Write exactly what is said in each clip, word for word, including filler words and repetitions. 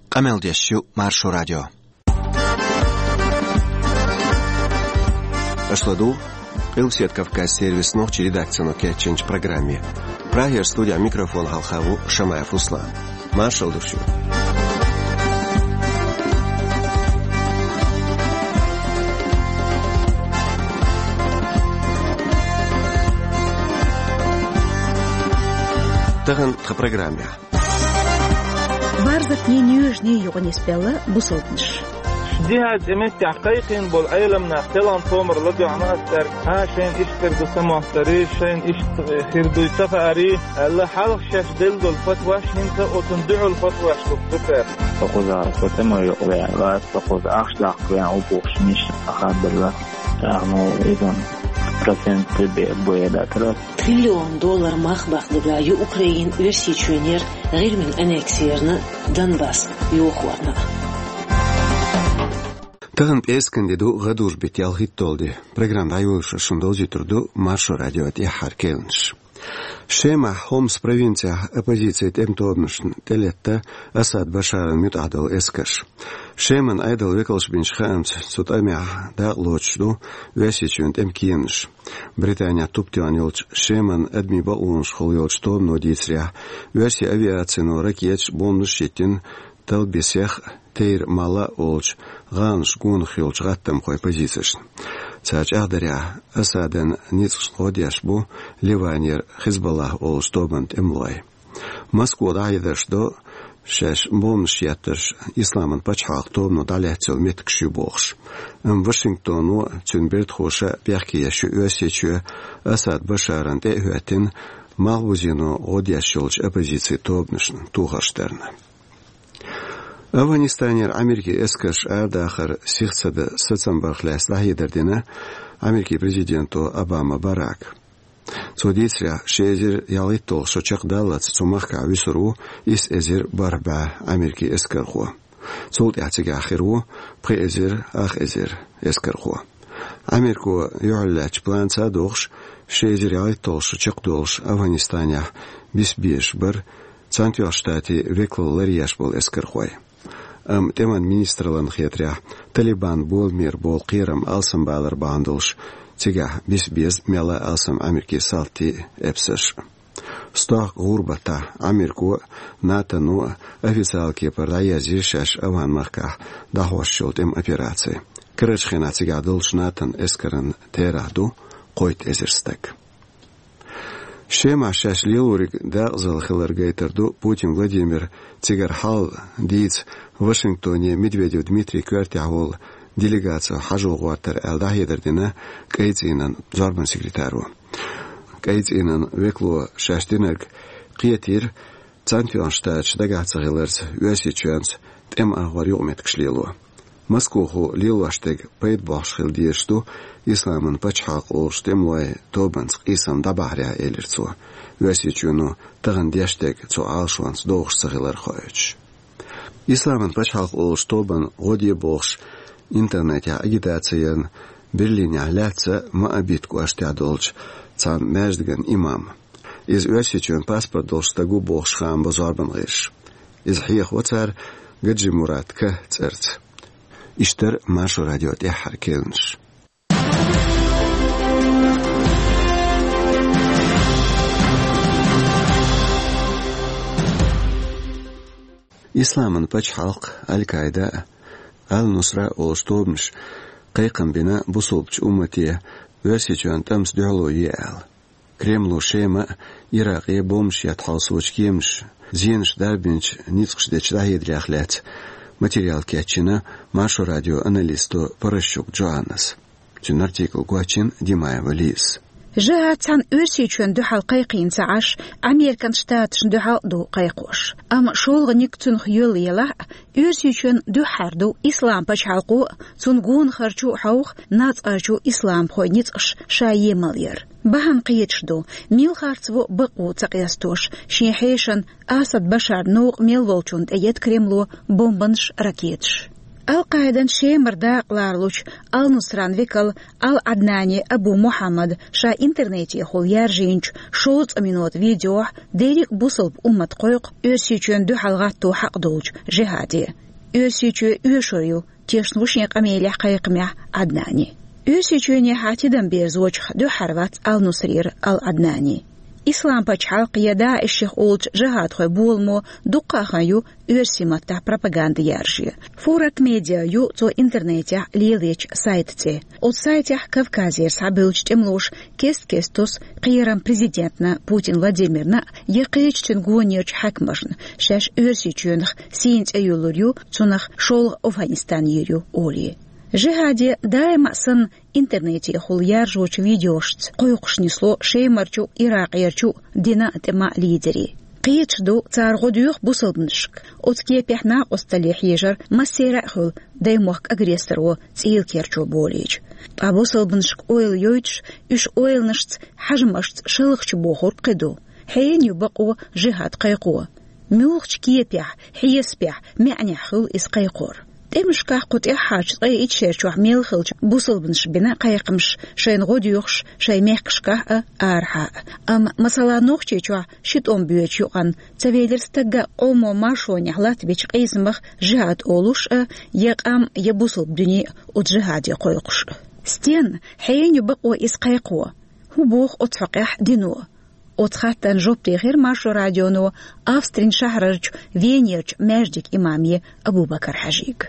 Къамел деш ю Маршо радио. Аша ладугӀу Къилбаседа Кавказан сервисан нохчийн редакцино кечйинчу программе. Прагера студехь микрофон хьалха ву Шамаев Руслан. Маршалла ду шуьга. Тахана тхан программехь. Барзатний, нуьйржаний юкъа нисбелла бусалбанаш. Дехьа цӀе меттехь кхайкхийна болу Ӏеламнах, селхана томар ладоьгӀна ас цаьрга, а, шайна иштта хир ду самостарий, шайна иштта хир дуй ца хаарий, аьлла, хьалха шаьш делла долу фатваш хӀинца оцунна дуьхьал фатваш хӀутту цара. Со кхузахь со тӀе ма юкъавеана вац, со кхуза ахча даккха веана ву бохуш, миша ахаддалла. ТӀаккха, ну, иза процент бе-, бе датара. Триллион доллар мах баккхадерг ю Украина Оьрсийчоьнера ГӀирмина аннекси ярна, Донбасс йохорна. Тахана пӀераскан де ду, гӀадужу беттан ялхитталгӀа де. Программа дӀайолош шуна довзуьйтур ду Маршо радион тӀаьххьара керланаш. Шемахь Хомс провинцехь оппозицин тӀеман тобанашна тӀелетта Асад Башаран муьтӀахь долу эскарш. Шеман Ӏедалан векалша бинчу хаамца, цу тӀамехь дакъа лоцуш ду Оьрсийчоьнан тӀеман кеманаш. Британехь туп тоьхна йолчу Шеман адамийн бакъонашкахула йолчу тобано дийцарехь, оьрсийн авиацино ракеташ, бомбанаш йиттина Талбисех а, Тейр-Мала а олучу гӀаланаш гонах йолчу гӀаттамхойн позицешна. Цара чӀагӀдарехь, Асадан ницкъашна гӀо деш бу Ливанера Хизбаллах олучу тобанан тӀемалой. Москва дӀахьедарш до, шаьш бомбанаш еттарш Исламан пачхьалкхан тобано дӀалаьцна йолу меттигаш ю бохуш. Амма Вашингтоно а, цуьнан бертахоша а бехке еш ю Оьрсийчоь Асад Башарна тӀе а хӀоьттина, малхбузено гӀо деш йолчу оппозицин тобанашна тохарш дарна. Афганистанера Америкин эскарш арадахар сиха ца дан сацам барх лаьцна дӀахьедар дина Америкин президенто Обама Барака. Цо дийцарехь, ши эзар ялхитталгӀа шо чекхдаллалц цу махкахь вуьсур ву исс эзар бархӀ бӀе Америкин эскархо. Цул тӀаьхьа цигахь хир ву пхи эзар ах эзар эскархо. Америко юьхьарлаьцначу планца а догӀуш, ши эзар ялхитталгӀа шо чекхдолуш Афганистанехь биса безаш бара Цхьаьнатоьхначу Штатийн векалалла ларъеш болу эскархой. Амма тӀеман министраллина хетарехь, Талибан боламера болу кхерам алсамбалар бахьана долуш, цигахь биса беза мелла а алсам Америкин салтий а, эпсарш а. Стохка гӀуран баттахь Америко а, НАТОно а официалан кепара дӀаерзийра шаьш Афган-махкахь дӀахьош йолу тӀеман операци. Карарчу хенахь цигахь долчу НАТОн эскаран терахь ду кхойтта эзар стаг. Шемахь шаьш лелориг декъазалла хилар гайтар ду Путин Владимира цигара хьал дийца Вашингтоне Медведев Дмитрий коьртехь волу делегаци хьажо гӀортар аьлла дӀахьедар дина КӀайн цӀийнан зорбанан секретаро. КӀайн цӀийнан векало шаьш динарг кхетийра, Цхьаьнатоьхначу Штаташа дагахь ца хиларца, Оьрсийчоьнца тӀеман агӀор юкъаметтигаш лело. Москвахо лелош дерг пайда бохьуш хила дезаш ду Исламан пачхьалкх олучу тӀемалойн тобанца къийсам дӀабахьарехь, элира цо, Оьрсийчоьно тахана деш дерг цу Ӏалашонца догӀуш ца хилар хоуьйтуш. Исламан пачхьалкх олучу тобанна гӀо де бохуш интернетехь агитаци ярна Берлинехь лаьцна Моабит кӀоштехь долчу цхьана маьждиган имам. Иза Оьрсийчоьнан паспорт долуш стаг ву бохуш хаам бо зорбанан гӀирсаша. Иза хьехаво цара Гаджимурат К цӀарца. Иштта яра Маршо радион тӀаьххьара керланаш. Исламан пачхьалкх, Аль-Каида а, Аль-Нусра а олуш тобанаш кхайкхам бина бусулбачу уммате Оьрсийчоьнан тӀамца дуьхьало е аьлла. Кремло Шема а, Иракъе а бомбанаш етта хьовсочу кеманаша зенаш дарбинчу ницкъаш дечу дӀахьедарех лаьцна материал кечйина Маршо радион аналисто Порощук Джоаннас. Цуьнан артикл гочйина Димаева Лизас. Жихад цхьана Оьрсийчоьнна дуьхьал кхайкхийна ца Ӏаш, Американ Штаташна дуьхьал а ду кхайкхош. Амма шолгӀаниг цунах йоьлла елахь а, Оьрсийчоьнна дуьххьара ду Ислам пачхьалкхо а, цунна гонахарчо а хьовха нацкъарчу исламхойн ницкъаш ша емал яр. Бахьана кхеташ ду, мила харц во бакъо ца къестош, шен хьешан Асад Башаран новкъа мел волчунна тӀеетта Кремло бомбанаш, ракеташ. Ал-Къаидан Шемара дакъа лоруш волчу Ал-Нусран векал Ал-Ӏаднани Абу Мухьаммада ша интернетехула яржийначу шовзткъа минотан видеохь дерриг а бусалба уммат кхойкху Оьрсийчоьнна дуьхьал гӀатто хьакъ долчу жихӀаде. Оьрсийчоь оьшур ю, тешна ву шен къамелехь, кхайкхамехь Ӏаднани. Оьрсийчоьнехьа тидам берзочух дуьххьара вац Ал-Нусрера Ал-Ӏаднани. Ислам пачхьалкх я ДАИШ-х олучу жихӀадхойн боламо дуккха а хан ю оьрсийн маттахь пропаганда яржо. Фурат Медиа ю цо интернетехь лелочу сайтан цӀе. Оцу сайтехь Кавказера схьабевллачу тӀемалоша кест-кеста тосу кхерам президентана Путин Владимирна я кхечу цуьнан гонерчу хьаькамашна, шаьш Оьрсийчоьнах сийна цӀе юьллур ю, цунах шолгӀа Афганистан йийр ю олий. ЖихӀаде даима а санна интернетехула яржочу видеошца кхойкхуш нисло Шемарчу а, Иракъерчу а динан а, тӀеман а лидерий. Кхеташ ду, цара гӀо доьху бусалбанашка. Оцу кепехь накъосталле хьежар массеран а хуьлу даймохк агрессоро цӀийла керчо болийча. Ткъа бусалбанашка ойла йойтуш, уьш ойланашца, хьажамашца шалхачу бохург кхин ду. Хьенан ю бакъо жихӀад кхайкхо? Муьлхачу кепехь, хьесапехь, маьӀнехь хуьлу иза кхайкхор? ТӀемашкахь кху тӀаьххьарчу ткъе итт шерчохь мел хиллачу бусалбанаша бина кхайкхамаш шайна гӀо доьхуш шайн мехкашкахь а, арахьа а. Амма, масала, Нохчийчохь ши тӀом боьдучу юкъанна ца велира стагга къоман маршонехь латтабечу къийсамах жихӀад олуш а, я къам, я бусалба дуьне а оцу жихӀаде кхойкхуш а. Стенна, хьенан ю бакъо иза кхайкхо? ХӀун боху оцу хьокъехь дино? Оцу хаттарна жоп дийхира Маршо радионо Австрин шахьарарчу Венерчу маьждиган имаме Абу-Бакар-Хьаьжига.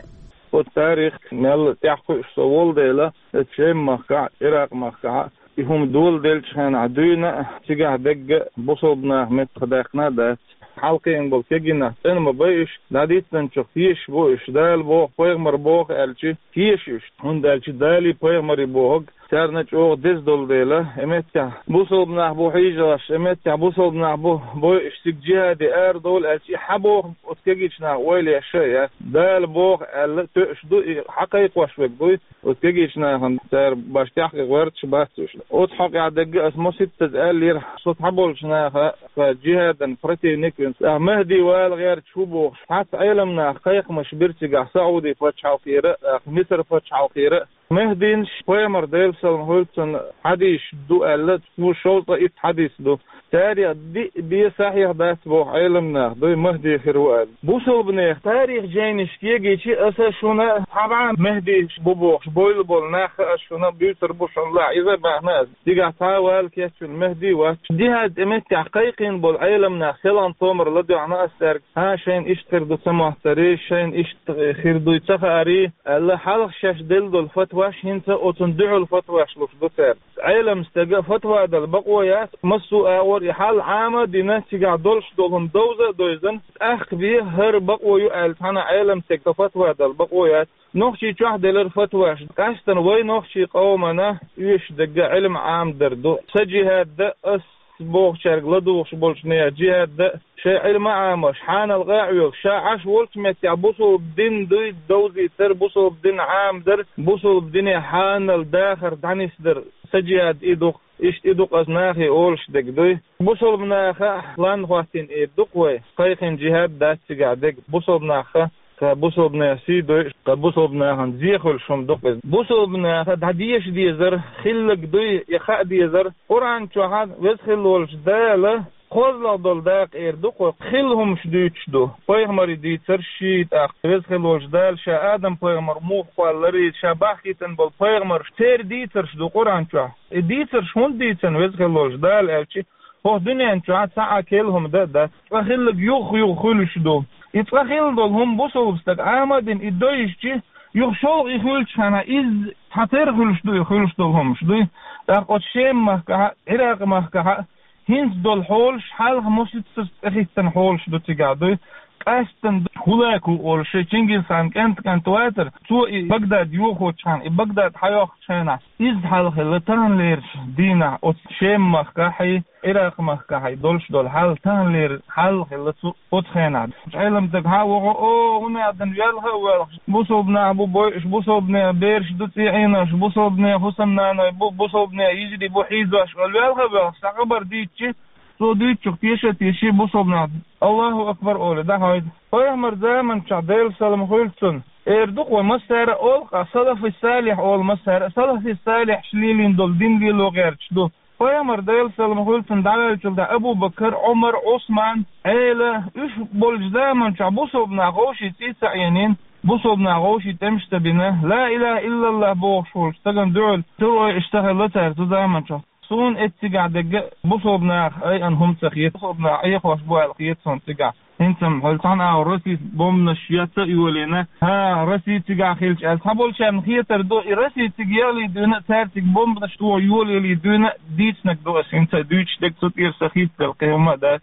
Оцу тарих мел тӀаьхьакхуьуш со волу дела, оцу Шем-махкахь а, Иракъ-махкахь а и хӀума доладеллачу хенахь дуьйна а, цигахь дегга а бусалба наха меттахдаьккхина а дац. Хьалакхиъна болу кегийнах цӀена ма бай уьш, дӀадитинчух тешаш бу уьш, Дала боху, пайхамара боху аьлча, теша уьш, хӀунда аьлча Далий пайхамарий бохург царна чӀогӀа деза долу дела, и меттехь бусалба нах бу хьийжош, и меттехь бусалба нах бу бойуш цига жихӀаде арадовла аьлча, и хьан боху оцу кегийчу наха ойла еш а яц. Дала боху аьлла тоьуш ду, и хьан кхайкхош верг дуй, оцу кегийчу нахана цара башха тӀаьхьа гӀоьрташ бац уьш. Оцу хьокъехь дегга аса маситтаза аьллера, со цхьаболчу наха, сан жихӀадан противник вина, ахь Махьди вала гӀерташ ву бохуш, цхьацца Ӏелам наха кхайкхамаш бира цигахь Сауди пачхьалкхера а, Мисар пачхьалкхера а. Махьдинаш пайхамар, Делан салам хуьлда цунна, хьадисаш ду аьлла, цо шовзткъа итт хьадис ду. Царах диъ бен сахьих дац боху Ӏелам наха, дуй Махьди хир ву аьлла. Бусалба нехан тарих жайнаш кегийча аса шуна цхьа бӀе Махьдиш бу бохуш бойла болу нах аса шуна буьйцур бу шуна лахь, иза баьхна аса. Дигахь цхьа а вала кечвина Махьди вац. ЖихӀад тӀе меттехь кхайкхийна болу Ӏелам нах селхана томар ладоьгӀна аса цаьрга. ХӀан, шайна иштта хир ду ца моттарий, шайна иштта хир дуй ца хаарий, аьлла, хьалха шаьш делла долу фатваш хӀинца оцунна дуьхьал фатваш луш ду цара. Ӏелам стага фатва дала бакъо яц, массо а агӀор и хьал Ӏама а дина, цигахь долуш долу хӀума довза а довзана, тӀаккха бен хӀара бакъо ю аьлла, цхьана Ӏелам стага фатва дала бакъо яц. Нохчийчохь делира фатваш, къаьстина вай нохчийн къомана оьшуш дерг Ӏилма Ӏамадар ду. Сан жихӀад дан ас бохучаьрга ладугӀуш болчу нехан жихӀад дан а, шайн Ӏилма а Ӏамош, хьанал къа а Ӏоьллуш, ша Ӏаш волчу меттехь бусалба дин дуй довзийтар, бусалба дин Ӏамадар, бусалба дине хьанал дахар дӀанисдар. Сан жихӀад и ду-кх, иштта и ду-кх аса нахе олуш дерг дуй. Бусалба наха лан хӀоттийна и ду-кх вай, кхайкхийна жихӀад дац цигахь дерг. Бусалба наха, ткъа бусалба нехан сий дойуш, ткъа бусалба нахана зе хуьлуш хӀума ду-кх иза. Бусалба наха дӀадеша дезар, хилларг дуй, я хаа дезар, Къуръан чохь а Веза хилла волчу Дала кхозлагӀа долу дакъа эр ду-кх вай, хилла хӀумаш дуьйцуш ду. Пайхамарийн дийцарш ший, тӀаккха Веза хилла волчу Дала ша Адам-пайхамар муха кхоллаларий, ша бахкийтина болу пайхамарш, церан дийцарш ду Къуръан чохь. И дийцарш хӀунда дийцина Веза хилла волчу Дала аьлча, хӀокху дуьнен чохь цхьа а керла хӀума дан а дац. Цкъа хилларг юха-юха хуьлуш ду. И цкъа хилла долу хӀума бусалба стага Ӏама а дина, и довзийча, юха шолгӀа и хуьлучу хенахь, иза цхьатерра хуьлуш ду, и хуьлуш долу хӀумаш дуй. ТӀаккха оцу Шем-махкахь а, Ӏиракъ-махкахь а хӀинца долу хьолаш хьалха маситтаза цӀе хӀиттина хьолаш ду цигахь дуй. Къаьсттина ХӀулаку олуш, шен Чингисханан кӀант-кӀант вацара, цо и Багдад йохочу хенахь, и Багдад схьайоккхучу хенахь, изза хьалха хилла таханлерчу дийнахь оцу Шем-махкахь а, Ӏиракъ-махкахь а долуш долу хьал таханлера хьал хилла цу оцу хенахь. Ӏелам стаг схьа а вахана, о, хӀун аьлла, велха а воьлхуш, бусалба нах бу бойуш, бусалба нехан бераш ду цӀий Ӏенош, бусалба нехан хӀусамнаной бу, бусалба нехан йижарий бу хьийзош олу, велха а воьлхуш, цхьа хабар дийцича, цо дуьйцучух теша а теший, бусалба нах «Аллаху акбар» олий дӀахьойду. Пайхамаран заманчохь, Делан салам хуьлда цунна, Эр ду-кх вай массара а олу-кх, салафи салихь олу массара а, салафи салихьаш лелийна долу дин лело гӀерташ ду. Пайхамар, Делан салам хуьлда цунна, дӀаваьллачул тӀаьхьа Абу-Бакар, Ӏумар, Ӏусман, Ӏела, уьш болчу заманчохь бусалба нах вовшийн цӀий ца Ӏенийна, бусалба нах вовшийн тӀемаш ца бина, ла илаха иллаллах бохуш волчу стагана дуьхьал, цул ойла иштта хилла цара цу заманчохь. Суна эццигахь дерг а бусалба наха айина хӀума ца хета, бусалба наха Ӏехош бу аьлла хета суна цигахь. ХӀинца-м хьо цхьана агӀор Россис бомбанаш яц а йолийна, хӀа, Росси цигахь хилча аьлла. Цхьаболчарна хетар ду, и Росси цига ялий дуьйна а, цара цига бомбанаш тоха йолаялий дуьйна а дийцинарг ду ас хӀинца а дуьйцуш дерг, цу тӀера сан хӀинца дерг кхин хӀума а дац.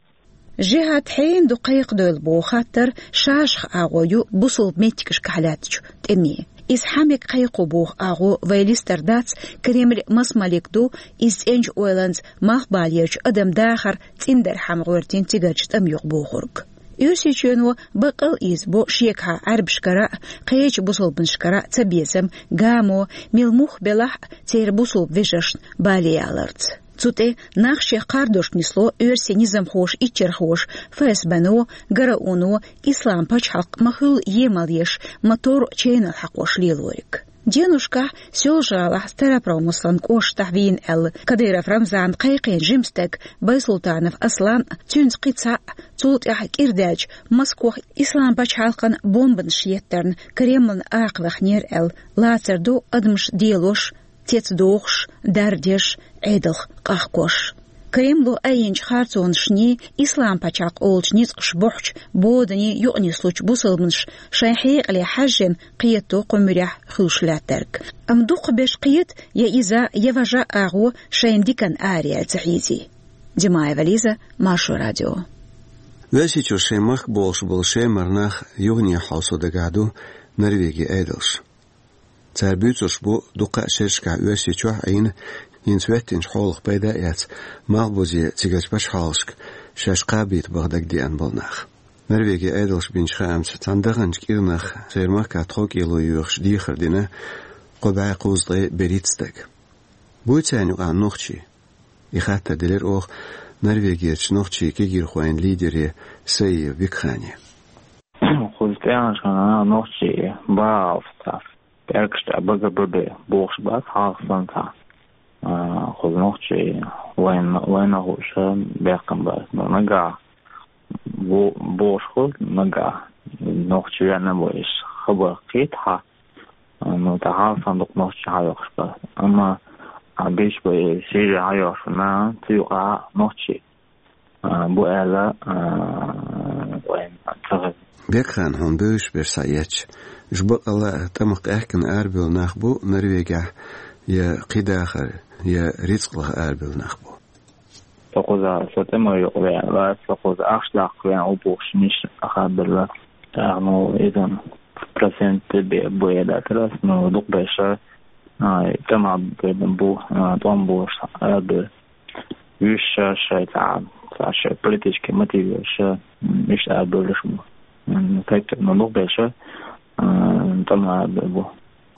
Жихьад хьенан ду кхайкхадевлла боху хаттар ша-шаха агӀо ю бусалба меттигашкахь лаьттачу тӀеме. Иза хьан мега кхайкхо боху агӀо вай листар дац Кремль маса малик ду, иза цӀеначу ойланца малхбалерчу адаман дахар цӀиндархьама гӀоьртина цигарчу тӀамна юкъа бохург. Оьрсийчоьно баккъал а иза бо шегахьа Ӏаьрбашкара а, кхечу бусалбанашкара а цабезам, гамо, мила мухха белахь а церан бусалба вежаршна бале яларца. Цу тӀе нах шех кхардошка нисло оьрсийн низамхоша, иччархоша, ФСБ-но, ГРУ-но, Ислам пачхьалкх ма-хуьллу емал еш, ма-торру ченал хьакхош лелориг. Деношкахь Соьлжа-ГӀалахь Старопромыслан кӀоштахь вийна аьлла Кадыров Рамзан кхайкхийна жима стаг Байсултанов Аслан, цуьнца кхин цхьаъ, цул тӀаьхьа кӀира даьлча Москох Ислам пачхьалкхана бомбанаш еттарна Кремлана акха вахнера аьлла, лацар ду адамаш делош, цецдохуш, дардеш, Ӏедалх къахкош. Кремло айинчу харцонашний, Ислам пачхьалкх олучу ницкъаша бухьучу боданий юкъанислучу бусалбанаш шайн хьекъале хьаьжжина кхета кху муьрехь хуьлуш лаьттарг. Амма дукхахберш кхета я иза, я важа агӀо шайна диканна араяьлла ца хьийзий. Димаева Лиза, Маршо радио. Оьрсийчуьра шайн махка болуш болу шемара нах юхане хьовсо дагахь ду Норвегин Ӏедалш. Цара буьйцурш бу дуккха а шерашкахь Оьрсийчохь а Ӏийна, хӀинца хӀоьттинчу хьолах пайда а эцна, малхбузе цигарчу пачхьалкхашка шаьш кхабийта баха дагадеана болу нах. Норвегин Ӏедалша бинчу хаамца, цхьана даханчу кӀирнах церан махкахь тховкӀело йоьхуш дехар дина кхо бӀе кхузткъе берхӀитта стаг. Буй царна юкъахь нохчий? И хаттар делира оха Норвегерчу нохчийн кегийрхойн лидере Саиев Бекхане. Кхуза тӀаьхьарчу хенахь нохчий баалц цхьа пӀелгаш тӀехь бага бабе бохуш бац хьалха санна цхьа, а, кхуза нохчий вайна, вайна хууша баьккхина бац. Ну, нагахь бо-, бохуш хуьлу, нагахь нохчий веана бу, иш хабар кхетахь, а, ну, тӀаккха хьалха санна дукха нохчий хьайоккхуш бац. Амма, а, беш бай Сири хьайоккхуш ву, цу юкъахь нохчий а, бу аьлла, а, вайн ца хезна. Бекхан, хьуна бевзаш берш схьаэцча, уьш баккъалла а тӀамах къаьхкина арабевлла нах бу Норвегехь, я кхин дахар, я рицкъ лаха арабевлла нах бу? Со кхуза, со тӀеман юкъа веана вац, со кхуза ахча даккха веана ву бохуш, миша ахабелла. ТӀаккха, ну, иза процент бе-, бу эладаьтар ас, ну, дукха берш, а, тӀеман бу, а, тӀом болуш арабевлла. Уьш ша шайн цхьа, цхьа шайн политический мотив йолуш, м, иштта а бевллаш бу. М, кхетта, ну, дукха берш, а, тӀом а бевлла бу.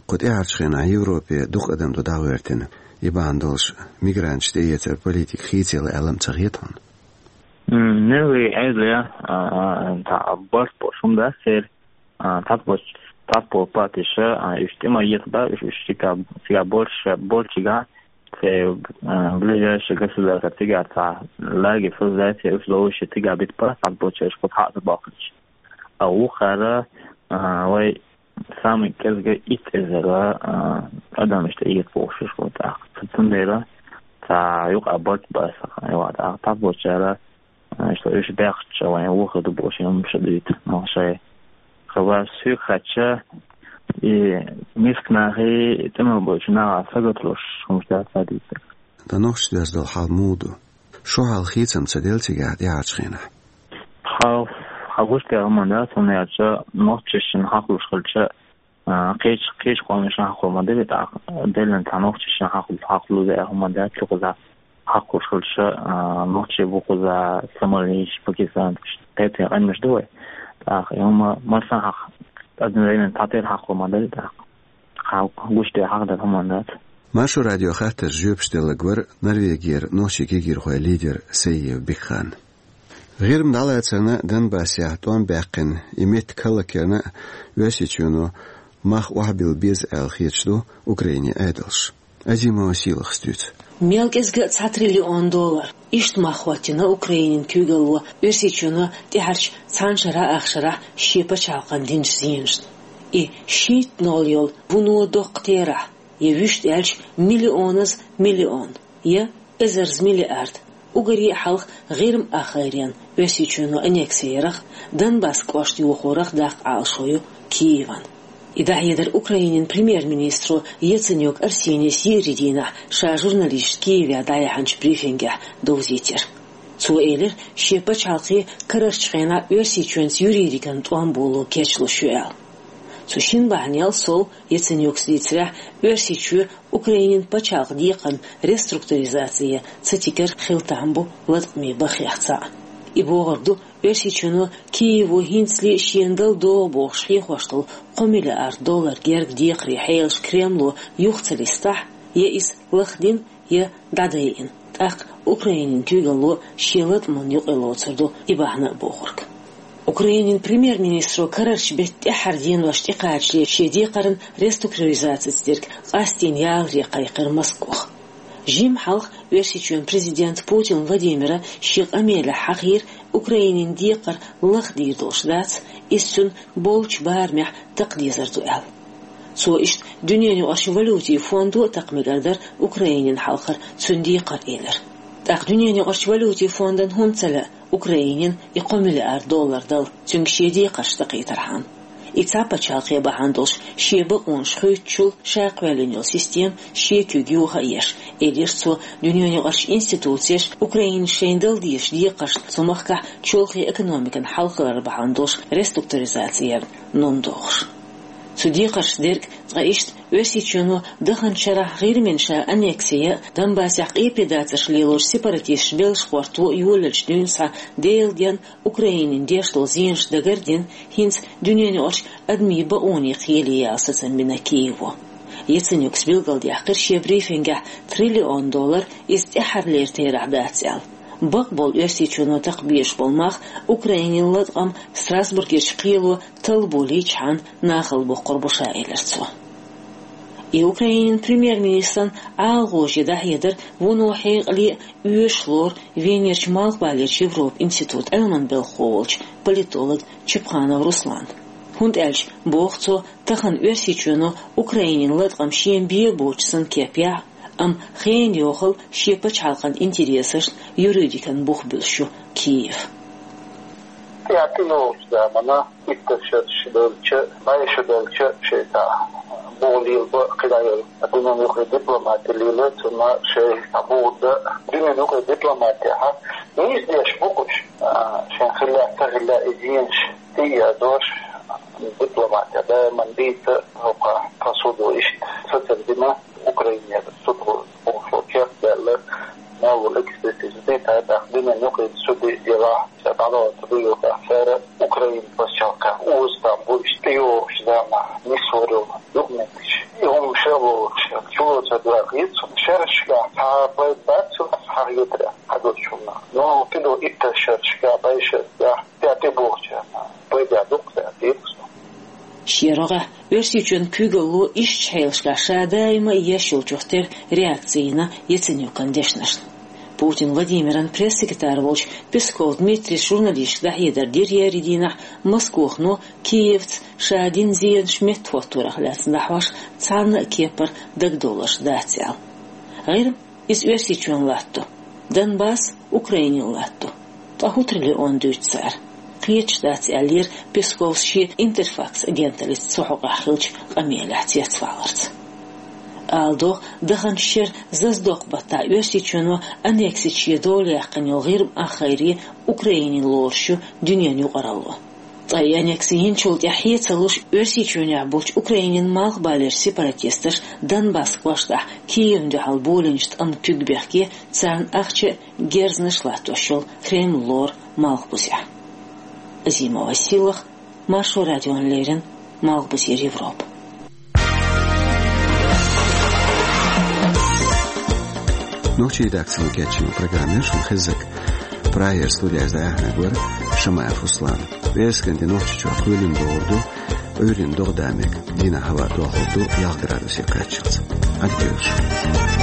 Кху тӀаьхьарчу хенахь Европе дукха адам ду дӀагӀоьртина, и бахьана долуш мигранташ тӀеэцар политика хийцаелла аьлла-м ца хета хьуна? М, нелли Ӏедале, а, а, цхьа барт болуш хӀума дац церан, а, цхьаболчу, цхьаболу партиша, а, уьш тӀе ма еза бац, уьш, уьш цигахь, цигахь болчу, болчигахь, церан, а, ближайшее государство цигахь цхьа лагерь создать е, уьш ловзуш е цигахь бита бац, цхьаболчара уьш кхуза хьа а ца бохкуьйтуш. А вукхара, а, вай самый кӀезга итт эзар, а, адам иштта ийца бохуш уьш бу тӀаккха. Цу-, цундела цхьа юкъа барт бац, а, юкъа тӀаккха цхьаболчара, а, иштта уьш баьхча вайн вохур ду бохуш, хӀума ша дуьйцу, ма шай. Хабар соьга хаьттича, и миска нахе, и тӀеман болчу наха сагатдеш хӀумаш дац ца дуьйцург. Ткъа нохчашца доьзна долу хьал муха ду? Шо хьал хийцам ца делла цигахь тӀаьхьарчу хенахь? Хьал, хьал гуш дерг хӀума дац, хӀунда аьлча нохчашна хьакхалуш хилча, а, кхечу, кхечу къомашна хьакхалур ма дара, тӀаккха деллина цхьа нохчашна хьакхал-, хьакхалур дерг хӀума дац, цу кхуза хьакхалуш хилча, а, нохчий бу кхуза, сомалийш, пакистанцаш, кхетий къаьмнаш ду вай. ТӀаккха и хӀума массанхьа хьакха, одновременно цхьатерра хьакхалур ма дара, тӀаккха хьал гуш дерг хьакха дерг хӀума дац. Маршо радион хаттаршна жоьпаш делларг вара Норвегера нохчийн кегийрхойн лидер Саиев Бекхан. ГӀирма дӀалацарна Донбассехь тӀом баьккхина и меттиг хӀаллакьярна а Оьрсийчоьно мах охьабилла беза аьлла хеташ ду Украинин Ӏедалш. Азимова Сийлахас дуьйцу. Мел кӀезга а цхьа триллион доллар. Иштта мах хӀоттийна Украинин куьйгалло Оьрсийчоьно тӀаьхьарчу цхьана шарахь ах шарахь шен пачхьалкхана динчу зенашна. И шийтта ноль йолу вуно доккха терахь, я вуьшта аьлча миллионаза миллион, я эзарза миллиард, уггаре а хьалха ГӀирма ахгӀайренна Оьрсийчоьно аннекси ярах, Донбасс кӀошт йохорах даккха Ӏалашо ю Киеван. И дӀахьедар Украинин премьер-министро Яценюк Арсенис еарин дийнахь ша журналисташна Киевехь дӀаяьхьначу брифингехь довзийтира. Цо элира, шен пачхьалкхе карарчу хенахь Оьрсийчоьнца юридикан тӀом боло кечлуш ю аьлла. Цу шина бахьанел сов, Яценюкас дийцарехь, Оьрсийчоь Украинин пачхьалкхан декхарна реструктуризаци ца тигар хила там бу латкъаме бахех цхьаъ. И бохург ду, Оьрсийчоьно Киево хӀинцале шена дала догӀу бохуш хьехош долу кхо миллиард доллар герга декхаре хьелаш Кремло юха ца листахь, я иза лахдина, я дӀадайина. ТӀаккха Украинин куьйгалло шен латкъамна юкъа лоцур ду и бахьана а бохург. Украинин премьер-министро карарчу беттан тӀаьххьара денош тӀекхачале шен декхарна реструктуризацица дерг къастийна яларе кхайкхира Москох. Жимма хьалха Оьрсийчоьнан президента Путин Владимира шен къамелехь хьахийра, Украинин декхар лахдийр долуш дац, иза цуьнан болчу барамехь такха дезар ду аьлла. Цо иштта Дуьненан юкъарчу валютин фондо а такха мегар дара Украинин хьалхара цуьнан декхар элира. ТӀаккха Дуьненан юкъарчу валютин фондана хӀунда ца лаьа Украинина и кхо миллиард доллар дала, цуьнга шен декхарш такхийтархьама? И цхьа пачхьалкхе бахьана долуш шен бакъонаш хуьйцучул ша кхоьллина йолу система шен куьйга юха а еш, элира цо, Дуьненан юкъарчу институцеша Украинас шайна дала дезачу декхаршна цу махкахь чолхе экономикан хьалхалар бахьана долуш реструктуризаци ярна нун дохуш. Цу декхаршца дерг цкъа иштта Оьрсийчоьно даханчу шарахь ГӀирмина ша аннекси ян а, Донбассехь къепедацарш лелочу сепаратисташа беллаш гӀорто а йолаелчу дуьйна схьа Делан денна Украинина деш долу зенаш дагар а дина, хӀинца Дуьненан юкъарчу адамийн бакъонийн кхеле яла сацам бина Киево. Яценюкас билгалдаьккхира шен брифингехь триллион доллар иза тӀаьххьарлера терахь дац аьлла. Бакъболу Оьрсийчоьно такха безаш болу мах Украинин латкъам Страсбургерчу кхело талла болийчхьана нахала боккхур бу ша, элира цо. И Украинин премьер-министран ӀалагӀожа дӀахьедар вуно хьекъале а оьшуш лору Венерчу Малхбалерчу Европан институтан Ӏилманан белхахо волчу политолог Чапханов Руслана. ХӀунда аьлча, боху цо, тахана Оьрсийчоьно Украинин латкъам шена бен боцуш санна кеп яхь, амма хенан йохалла шен пачхьалкхан интересашна юридикан бух буьллуш ю Киев. ТӀаьхьа тӀейогӀучу заманахь иттар шераш белча, бӀе шо белча шайта боху лелабо кхидӀа йолу дуьненан юкъе дипломати лела, цунна шайта боху дан дуьненан юкъе дипломатехь нийса деш бу уьш, а, шайн хилла а, ца хилла а, и зенаш тӀеэцош дипломати даиман дийца хӀокху посуду иштта сацар дина Украинера суд бохуш кеп даьлла, мел волу экспертиза дийца, тӀаккха дуьненан юкъе суде делахь, ша дӀалоцу дуьйла тӀаккха цара Украина пачхьалкхехь оза там бу иштта тӀейогӀучу заманахь нисвар йолу документаш. И хӀума ша лоруш, чулоцур дакъа хета суна шерашкахь, цхьа пайда бац цунах хьахетарехь хьадолчунна. Но кхидӀа иттар шерашкахь, бӀе шерашкахь тӀе тӀебогӀучарна пайда дукха дац, дийца со. Шен рогӀехь Оьрсийчоьнан куьйгалло иштта хьелашкахь ша даима а еш йолчух тера реакци йина Яценюкан дешнашна. Путин Владимиран пресс-секретарь волчу Песков Дмитрийс журналисташка дӀахьедар дира еарин дийнахь, Москохано Киевца ша дина зенаш меттахӀотторах лаьцна дӀахьош цхьанна а кепара дагадовларш дац аьлла. ГӀирма иза Оьрсийчоьнан латта ду, Донбасс Украинин латта ду. Ткъа хӀун триллион дуьйцу цара? Кхеташ дац, аьллера Песковс шен Интерфакс агенталлица цу хьокъехь хиллачу къамелехь цецваларца. Ала догӀу, даханчу шеран зазадоккху баттахь Оьрсийчоьно аннексиче дола яьккхина йолу ГӀирма ахгӀайре Украинина лоруш ю дуьненан юкъаралло. Ткъа и аннекси йинчул тӀаьхьа хье ца луш, Оьрсийчоьнехь болчу Украинин малхбалерчу сепаратисташа Донбасс кӀоштахь Киевна дуьхьал болийначу тӀамна куьг бехке, царна ахча а, герзанаш а латтош йолу Кремль лору Малхбузехь. Азимова Сийлаха, Маршо радиона леррина, Малхбузера Европа. Нохчийн редакцино кечйина программа яра шуна хезнарг. Прагера студияйчу дӀаяьхьнарг вара Шамаев Руслан. Весткан де Нохчийчохь кхоьлина догӀур ду, Ӏуьйранна догӀа да мега, дийнахь хӀаваъ дохур ду ялх градусе кхаччалц. Ӏадика йойла шун.